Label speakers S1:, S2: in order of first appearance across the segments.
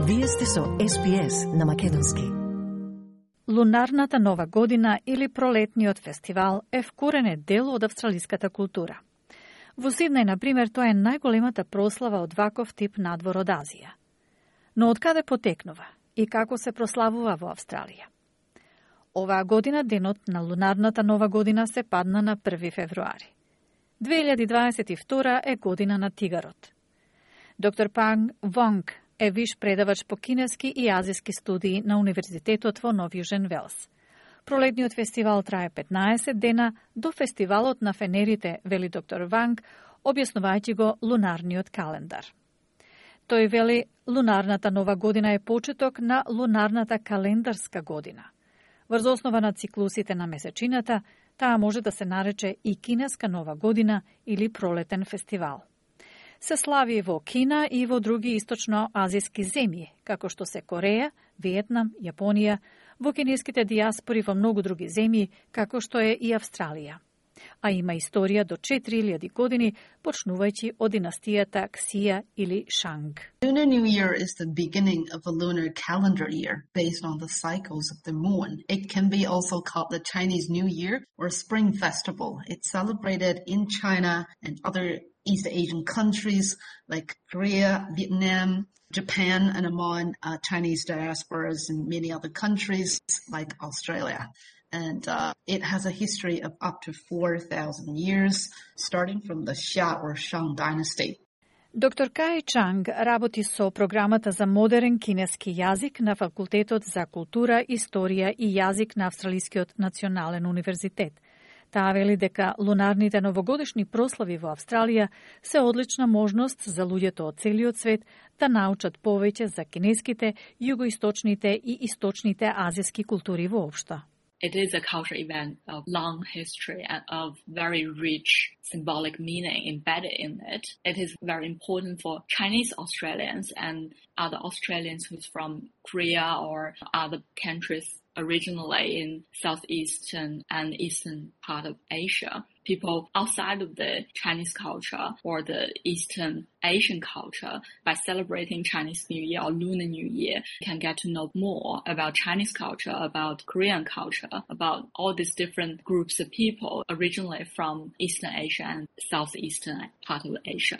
S1: Вие сте со SPS на Македонски.
S2: Лунарната нова година или пролетниот фестивал е вкоренет дел од австралиската култура. Во Сиднеј, например, тоа е најголемата прослава од ваков тип надвор од Азија. Но од каде потекнува и како се прославува во Австралија? Оваа година денот на лунарната нова година се падна на 1 февруари. 2022 е година на тигарот. Доктор Панг Вонг е виш предавач по кинески и азиски студии на Универзитетот во Нов Јужен Велс. Пролетниот фестивал трае 15 дена до фестивалот на фенерите, вели доктор Ванг, објаснувајќи го лунарниот календар. Тој вели, лунарната нова година е почеток на лунарната календарска година. Врз основа на циклусите на месечината, таа може да се нарече и кинеска нова година или пролетен фестивал. Се слави во Кина и во други источно-азиски земји, како што се Кореја, Виетнам, Јапонија, во кинеските диаспори во многу други земји, како што е и Австралија. А има историја до 4000 години, почнувајќи од династијата Ксија или Шанг.
S3: Lunar New Year is the beginning of a lunar calendar year based on the cycles of the moon. It can be also called the Chinese New Year or Spring Festival. It's celebrated in China and other East Asian countries like Korea, Vietnam, Japan, and among Chinese diasporas in many other countries like Australia. And it has a history of up to 4,000 years, starting from the Xia or Shang dynasty.
S2: Доктор Кај Чанг работи со програмата за модерен кинески јазик на Факултетот за култура, историја и јазик на Австралискиот национален универзитет. Таа вели дека лунарните новогодишни прослави во Австралија се одлична можност за луѓето од целиот свет да научат повеќе за кинеските, југоисточните и источните азиски култури воопшто.
S4: It is a cultural event of long history and of very rich symbolic meaning embedded in it. It is very important for Chinese Australians and other Australians who's from Korea or other countries originally in southeastern and eastern part of Asia. People outside of the Chinese culture or the Eastern Asian culture, by celebrating Chinese New Year or Lunar New Year, can get to know more about Chinese culture, about Korean culture, about all these different groups of people originally from Eastern Asia and southeastern part of Asia.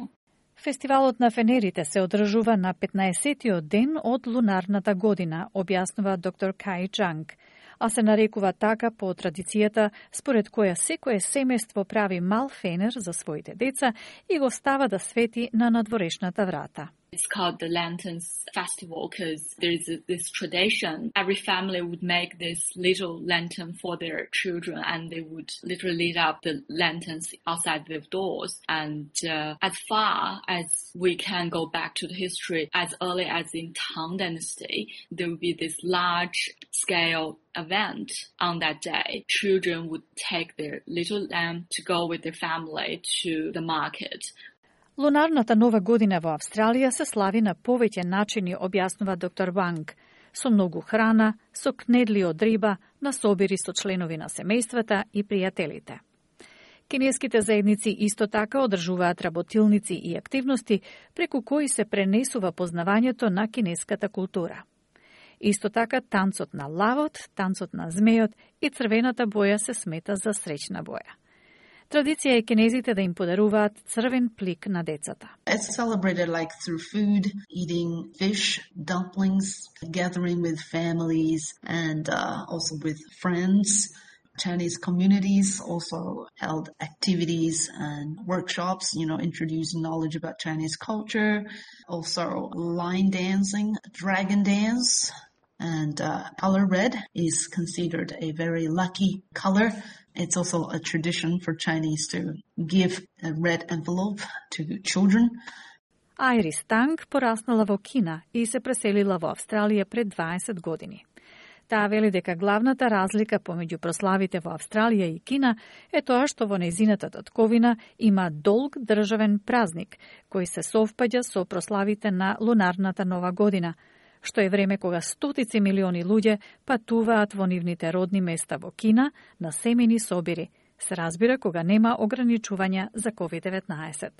S2: Фестивалот на фенерите се одржува на 15-тиот ден од лунарната година, објаснува доктор Кај Чанг, а се нарекува така по традицијата според која секое семејство прави мал фенер за своите деца и го става да свети на надворешната врата.
S4: It's called the Lanterns Festival because there is this tradition. Every family would make this little lantern for their children and they would literally light up the lanterns outside their doors. And as far as we can go back to the history, as early as in Tang Dynasty, there would be this large-scale event on that day. Children would take their little lamb to go with their family to the market.
S2: Лунарната нова година во Австралија се слави на повеќе начини, објаснува доктор Ванг, со многу храна, со кнедли од риба, на собири со членови на семејствата и пријателите. Кинеските заедници исто така одржуваат работилници и активности преку кои се пренесува познавањето на кинеската култура. Исто така танцот на лавот, танцот на змејот и црвената боја се смета за среќна боја. Традиција е кинезите да им подаруваат црвен плик на децата.
S3: It's celebrated like through food, eating fish, dumplings, gathering with families and also with friends. Chinese communities also held activities and workshops, introducing knowledge about Chinese culture. Also line dancing, dragon dance. And color red is considered a very lucky color. It's also a tradition for Chinese to give a red envelope to children.
S2: Айрис Танг пораснала во Кина и се преселила во Австралија пред 20 години. Таа вели дека главната разлика помеѓу прославите во Австралија и Кина е тоа што во нејзината татковина има долг државен празник, кој се совпаѓа со прославите на лунарната нова година, што е време кога стотици милиони луѓе патуваат во нивните родни места во Кина на семени собири, се разбира кога нема ограничувања за COVID-19.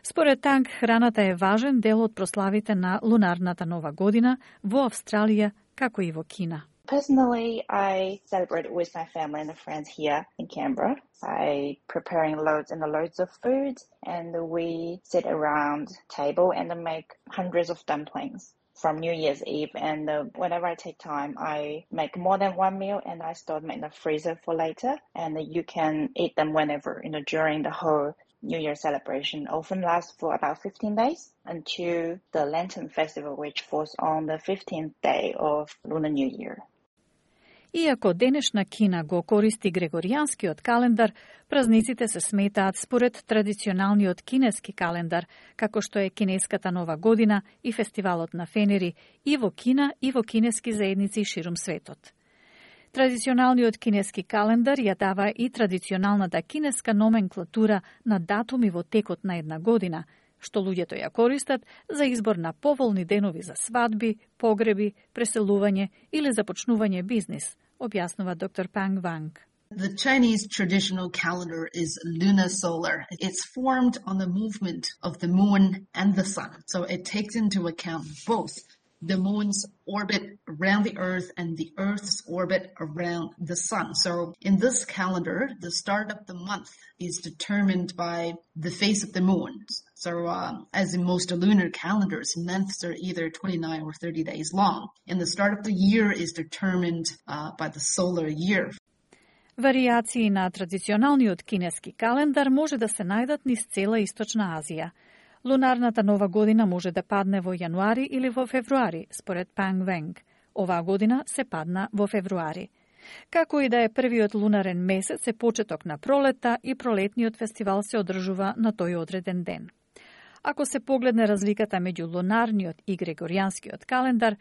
S2: Според Танг, храната е важен дел од прославите на лунарната нова година во Австралија, како и во Кина.
S5: Personally, I celebrate it with my family and friends here in Canberra by preparing loads and loads of food, and we sit around table and make hundreds of dumplings from New Year's Eve. And whenever I take time, I make more than one meal and I store them in the freezer for later. And you can eat them whenever, during the whole New Year celebration. Often lasts for about 15 days until the Lantern Festival, which falls on the 15th day of Lunar New Year.
S2: Иако денешна Кина го користи грегоријанскиот календар, празниците се сметаат според традиционалниот кинески календар, како што е кинеската нова година и фестивалот на фенери и во Кина и во кинески заедници ширум светот. Традиционалниот кинески календар ја дава и традиционалната кинеска номенклатура на датуми во текот на една година, што луѓето ја користат за избор на поволни денови за свадби, погреби, преселување или започнување бизнис, објаснува доктор Панг Вонг.
S3: The Chinese traditional calendar is lunar-solar. It's formed on the movement of the moon and the sun. So it takes into account both the moon's orbit around the earth and the earth's orbit around the sun. So in this calendar, the start of the month is determined by the phase of the moon. So as in most lunar calendars, months are either 29 or 30 days long. And the start of the year is determined by the solar year.
S2: Варијации на традиционалниот кинески календар може да се најдат низ цела Источна Азија. Лунарната нова година може да падне во јануари или во февруари, според Панг Вонг. Оваа година се падна во февруари. Како и да е првиот лунарен месец е почеток на пролета и пролетниот фестивал се одржува на тој одреден ден. Ако се погледне разликата меѓу лунарниот и грегоријанскиот календар,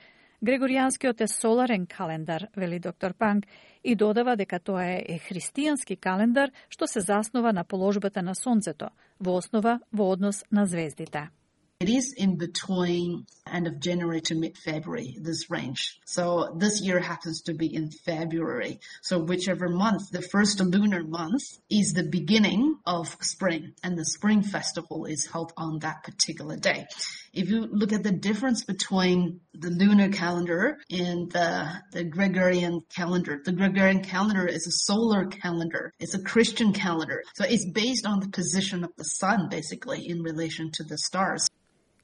S2: грегоријанскиот е соларен календар, вели доктор Панг, и додава дека тоа е христијански календар што се заснова на положбата на сонцето, во основа во однос на звездите.
S3: It is in between end of January to mid-February, this range. So this year happens to be in February. So whichever month, the first lunar month, is the beginning of spring, and the spring festival is held on that particular day. If you look at the difference between the lunar calendar and the Gregorian calendar, the Gregorian calendar is a solar calendar. It's a Christian calendar. So it's based on the position of the sun, basically, in relation to the stars.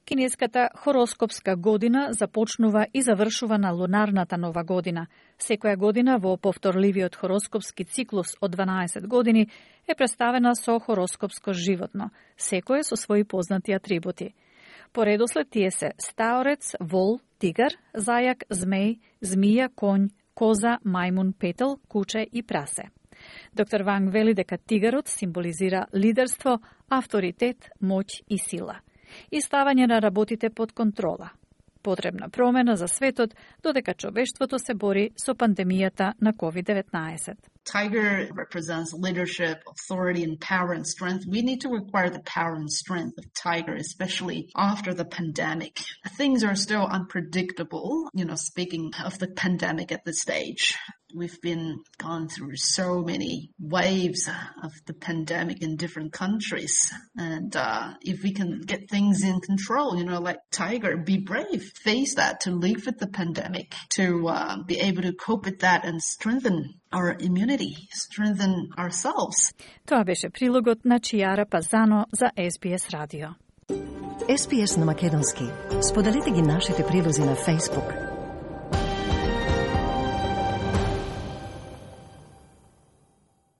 S2: Кинеската хороскопска година започнува и завршува на лунарната нова година. Секоја година во повторливиот хороскопски циклус од 12 години е представена со хороскопско животно, секој со своји познати атрибути. По редослед тие се стаорец, вол, тигар, зајак, змеј, змија, конј, коза, мајмун, петел, куче и прасе. Доктор Вонг вели дека тигарот символизира лидерство, авторитет, моќ и сила и ставање на работите под контрола. Потребна промена за светот додека човештвото се бори со пандемијата на COVID-19.
S3: Tiger represents leadership, authority, and power and strength. We need to acquire the power and strength of Tiger, especially after the pandemic. Things are still unpredictable, speaking of the pandemic at this stage. We've been gone through so many waves of the pandemic in different countries. And if we can get things in control, like Tiger, be brave, face that, to live with the pandemic, to be able to cope with that and strengthen our immunity, strengthen ourselves.
S2: Тоа беше прилогот на Чијара Пазано за SBS радио.
S1: SBS на македонски. Споделете ги нашите прилози на Facebook,